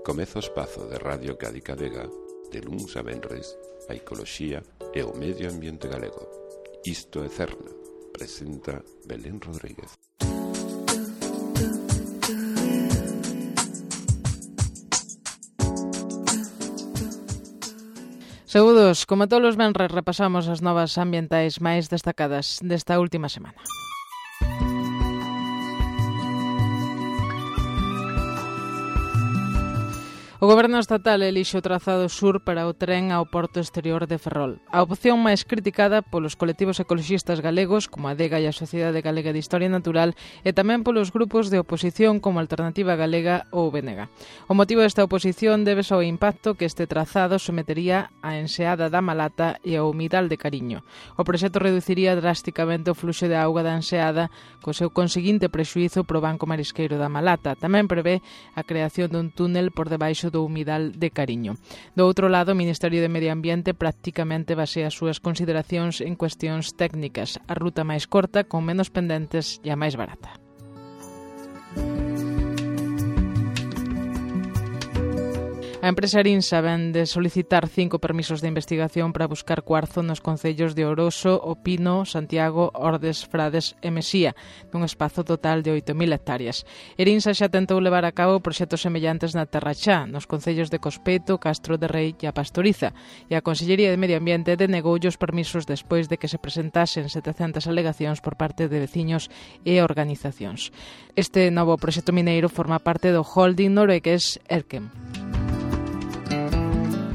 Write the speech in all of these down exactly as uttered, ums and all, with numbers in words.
Comeza o espazo de Radio Cádiz Vega, de luns a venres, a ecoloxía e o medio ambiente galego. Isto é Cerna, presenta Belén Rodríguez. Saúdos, como todos os venres repasamos as novas ambientais máis destacadas desta última semana. O Goberno estatal elixe o trazado sur para o tren ao porto exterior de Ferrol. A opción máis criticada polos colectivos ecoloxistas galegos, como a Adega e a Sociedade Galega de Historia Natural, e tamén polos grupos de oposición como Alternativa Galega ou B N G. O motivo desta oposición débese ao impacto que este trazado sometería á enseada da Malata e ao humidal de Cariño. O proxecto reduciría drasticamente o fluxo de auga da enseada, co seu conseguinte prexuízo pro banco marisqueiro da Malata. Tamén prevé a creación dun túnel por debaixo do humidal de Cariño. Do outro lado, o Ministerio de Medio Ambiente prácticamente basea as súas consideracións en cuestións técnicas, a ruta máis corta, con menos pendentes e a máis barata. A empresa Arinsa ven de solicitar cinco permisos de investigación para buscar cuarzo nos concellos de Oroso, O Pino, Santiago, Ordes, Frades e Mesía, nun espazo total de oito mil hectáreas. Arinsa xa tentou levar a cabo proxectos semellantes na Terra Xa, nos concellos de Cospeto, Castro de Rei e a Pastoriza, e a Consellería de Medio Ambiente denegoulle os permisos despois de que se presentasen setecentas alegacións por parte de veciños e organizacións. Este novo proxecto mineiro forma parte do holding noruegués Elkem.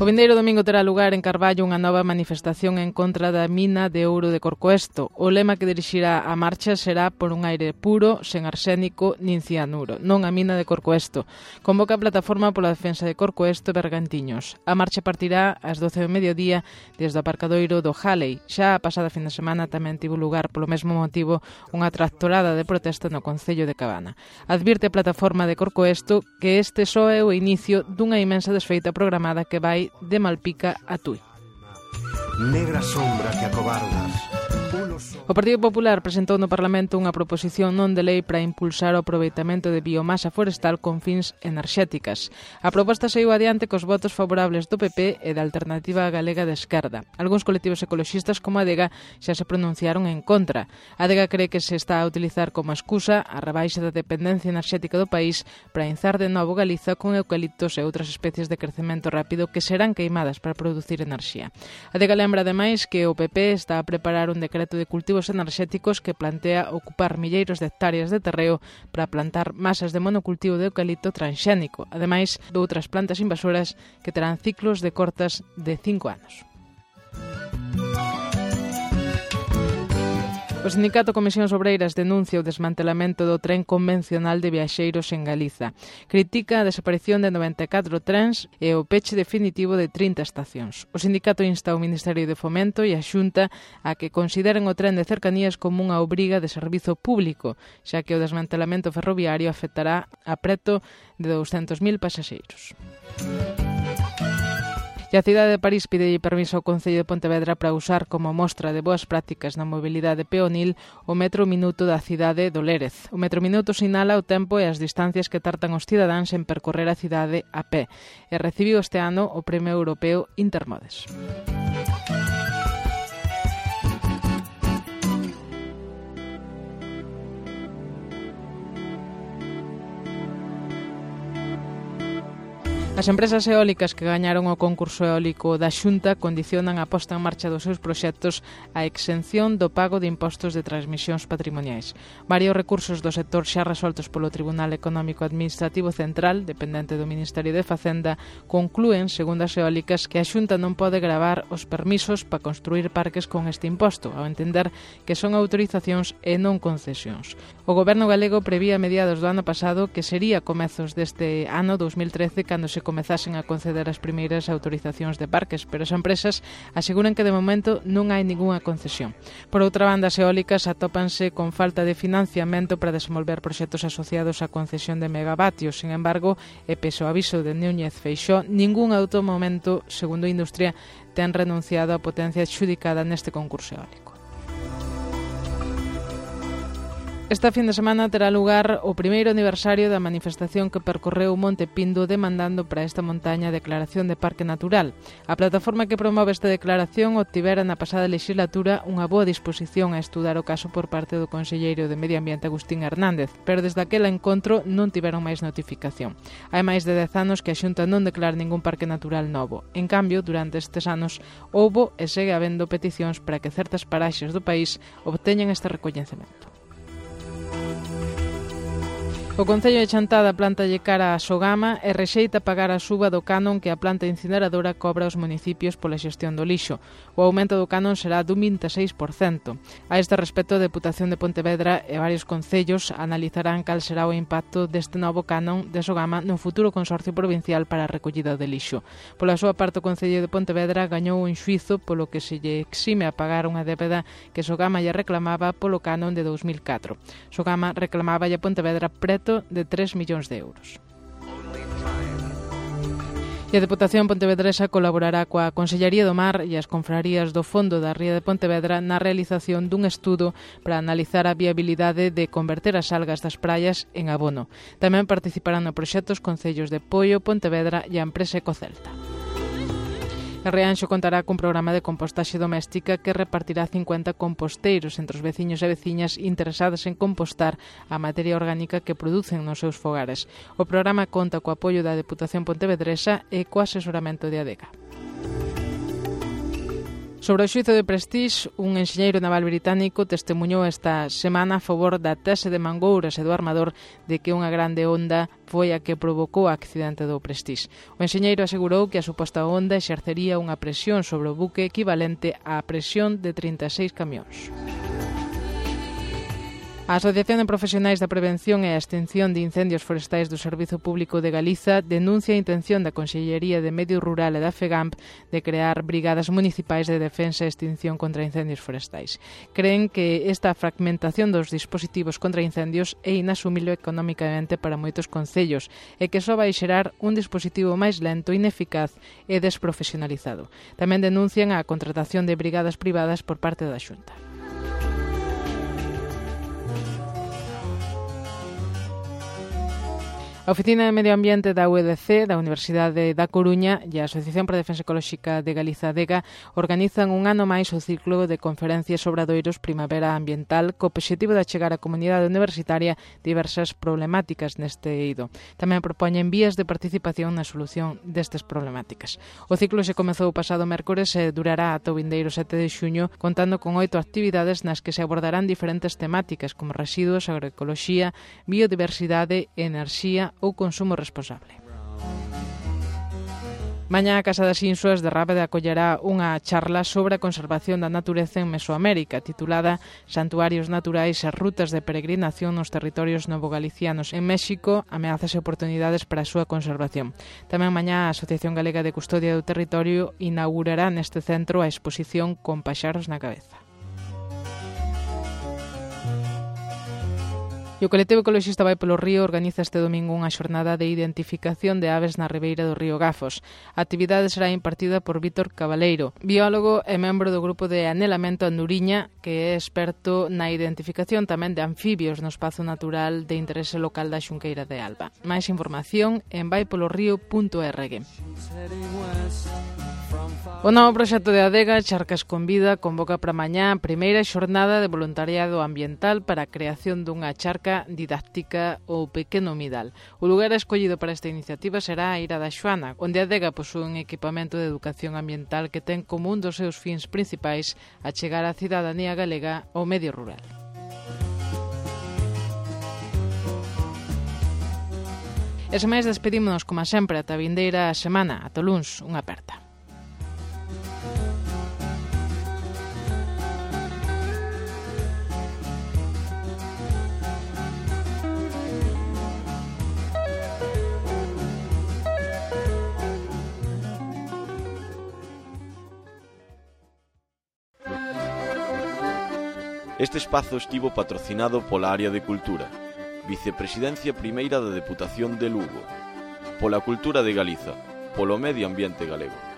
O vindeiro domingo terá lugar en Carballo unha nova manifestación en contra da mina de ouro de Corcoesto. O lema que dirixirá a marcha será por un aire puro, sen arsénico nin cianuro, non a mina de Corcoesto. Convoca a plataforma pola defensa de Corcoesto e Bergantiños. A marcha partirá ás doce do mediodía desde o aparcadoiro do Halley. Xa a pasada fin de semana tamén tivo lugar polo mesmo motivo unha tractorada de protesta no concello de Cabana. Advirte a plataforma de Corcoesto que este só é o inicio dunha imensa desfeita programada que vai de Malpica a Tui. Negra sombra que acobardas. O Partido Popular presentou no Parlamento unha proposición non de lei para impulsar o aproveitamento de biomasa forestal con fins enerxéticas. A proposta saiu adiante cos votos favorables do P P e da Alternativa Galega de Esquerda. Algúns colectivos ecoloxistas como a Adega xa se pronunciaron en contra. A Adega cree que se está a utilizar como excusa a rebaixa da dependencia enerxética do país para inzar de novo Galiza con eucaliptos e outras especies de crecemento rápido que serán queimadas para producir enerxía. A Adega lembra ademais que o P P está a preparar un decreto de cultivos enerxéticos que plantea ocupar milleiros de hectáreas de terreo para plantar masas de monocultivo de eucalipto transxénico, ademais de outras plantas invasoras que terán ciclos de cortas de cinco anos. O sindicato Comisións Obreiras denuncia o desmantelamento do tren convencional de viaxeiros en Galiza. Critica a desaparición de noventa e catro trens e o peche definitivo de trinta estacións. O sindicato insta ao Ministerio de Fomento e a Xunta a que consideren o tren de cercanías como unha obriga de servizo público, xa que o desmantelamento ferroviario afectará a preto de douscentos mil pasaxeiros. E a cidade de París pide permiso ao Concello de Pontevedra para usar como mostra de boas prácticas na mobilidade peonil o metro minuto da cidade do Lérez. O metro minuto sinala o tempo e as distancias que tartan os cidadáns en percorrer a cidade a pé e recibiu este ano o Premio Europeo Intermodes. As empresas eólicas que gañaron o concurso eólico da Xunta condicionan a posta en marcha dos seus proxectos a exención do pago de impostos de transmisións patrimoniais. Varios recursos do sector xa resoltos polo Tribunal Económico Administrativo Central, dependente do Ministerio de Facenda, conclúen, segundo as eólicas, que a Xunta non pode gravar os permisos para construir parques con este imposto, ao entender que son autorizacións e non concesións. O Goberno galego prevía a mediados do ano pasado que sería comezos deste ano dous mil trece cando se comezasen a conceder as primeiras autorizacións de parques, pero as empresas aseguran que de momento non hai ningunha concesión. Por outra banda, as eólicas atópanse con falta de financiamento para desenvolver proxectos asociados á concesión de megavatios. Sin embargo, e pese ao aviso de Núñez Feixóo, ningún auto momento, segundo a industria, ten renunciado á potencia adxudicada neste concurso eólico. Esta fin de semana terá lugar o primeiro aniversario da manifestación que percorreu o Monte Pindo demandando para esta montaña a declaración de Parque Natural. A plataforma que promove esta declaración obtivera na pasada legislatura unha boa disposición a estudar o caso por parte do conselleiro de Medio Ambiente Agustín Hernández, pero desde aquel encontro non tiveron máis notificación. Hai máis de dez anos que a Xunta non declara ningún parque natural novo. En cambio, durante estes anos houbo e segue habendo peticións para que certas paraxes do país obteñan este recoñecemento. O Concello de Chantada plántalle cara a Sogama e rexeita pagar a suba do canon que a planta incineradora cobra aos municipios pola xestión do lixo. O aumento do canon será dun vinte e seis por cento. A este respecto, a Deputación de Pontevedra e varios concellos analizarán cal será o impacto deste novo canon de Sogama no futuro Consorcio Provincial para a recollida de lixo. Pola súa parte, o Concello de Pontevedra gañou un xuízo polo que se lle exime a pagar unha débeda que Sogama lle reclamaba polo canon de dous mil catro. Sogama reclamaba a Pontevedra preto de tres millóns de euros. E a Deputación pontevedresa colaborará coa Consellería do Mar e as confrarías do Fondo da Ría de Pontevedra na realización dun estudo para analizar a viabilidade de converter as algas das praias en abono. Tamén participarán no proxecto os concellos de Poio, Pontevedra e a empresa Ecocelta. A Rianxo contará cun programa de compostaxe doméstica que repartirá cincuenta composteiros entre os veciños e veciñas interesadas en compostar a materia orgánica que producen nos seus fogares. O programa conta co apoio da Deputación Pontevedresa e co asesoramento de Adega. Sobre o xuízo de Prestige, un enxeñeiro naval británico testemuñou esta semana a favor da tese de Mangouras e do armador de que unha grande onda foi a que provocou o accidente do Prestige. O enxeñeiro asegurou que a suposta onda exercería unha presión sobre o buque equivalente á presión de trinta e seis camións. A Asociación de Profesionais da Prevención e a Extinción de Incendios Forestais do Servizo Público de Galiza denuncia a intención da Consellería de Medio Rural e da FEGAMP de crear brigadas municipais de defensa e extinción contra incendios forestais. Creen que esta fragmentación dos dispositivos contra incendios é inasumible económicamente para moitos concellos e que só vai xerar un dispositivo máis lento, ineficaz e desprofesionalizado. Tamén denuncian a contratación de brigadas privadas por parte da Xunta. A Oficina de Medio Ambiente da U E D C, da Universidade da Coruña e a Asociación para a Defensa Ecolóxica de Galiza, ADEGA, organizan un ano máis o ciclo de conferencias sobre obradoiros Primavera Ambiental co obxectivo de achegar á comunidade universitaria diversas problemáticas neste eido. Tamén propoñen vías de participación na solución destas problemáticas. O ciclo se comezou o pasado mércores e durará ata o vindeiro sete de xuño, contando con oito actividades nas que se abordarán diferentes temáticas como residuos, agroecoloxía, biodiversidade, enerxía ou consumo responsable. Mañá a Casa das Insuas de Rábade acollerá unha charla sobre a conservación da natureza en Mesoamérica, titulada Santuarios naturais e rutas de peregrinación nos territorios novogalicianos en México, ameazas e oportunidades para a súa conservación. Tamén mañá a Asociación Galega de Custodia do Territorio inaugurará neste centro a exposición Con paxaros na cabeza. E o colectivo ecoloxista Vai polo Río organiza este domingo unha xornada de identificación de aves na ribeira do río Gafos. A actividade será impartida por Vítor Cabaleiro, biólogo e membro do grupo de Anelamento Anduriña, que é experto na identificación tamén de anfibios no espazo natural de interese local da Xunqueira de Alba. Máis información en vai polo río punto org. O novo proxecto de Adega, Charcas con Vida, convoca para mañá a primeira xornada de voluntariado ambiental para a creación dunha charca didáctica ou pequeno humidal. O lugar escollido para esta iniciativa será a Ira da Xoana, onde a Adega posúe un equipamento de educación ambiental que ten como un dos seus fins principais a chegar á cidadanía galega ao medio rural. E sen máis despedímonos, como sempre, ata a vindeira semana. Ata o luns, unha aperta. Este espazo estivo patrocinado pola Área de Cultura, Vicepresidencia Primeira da Deputación de Lugo, pola Cultura de Galiza, polo Medio Ambiente Galego.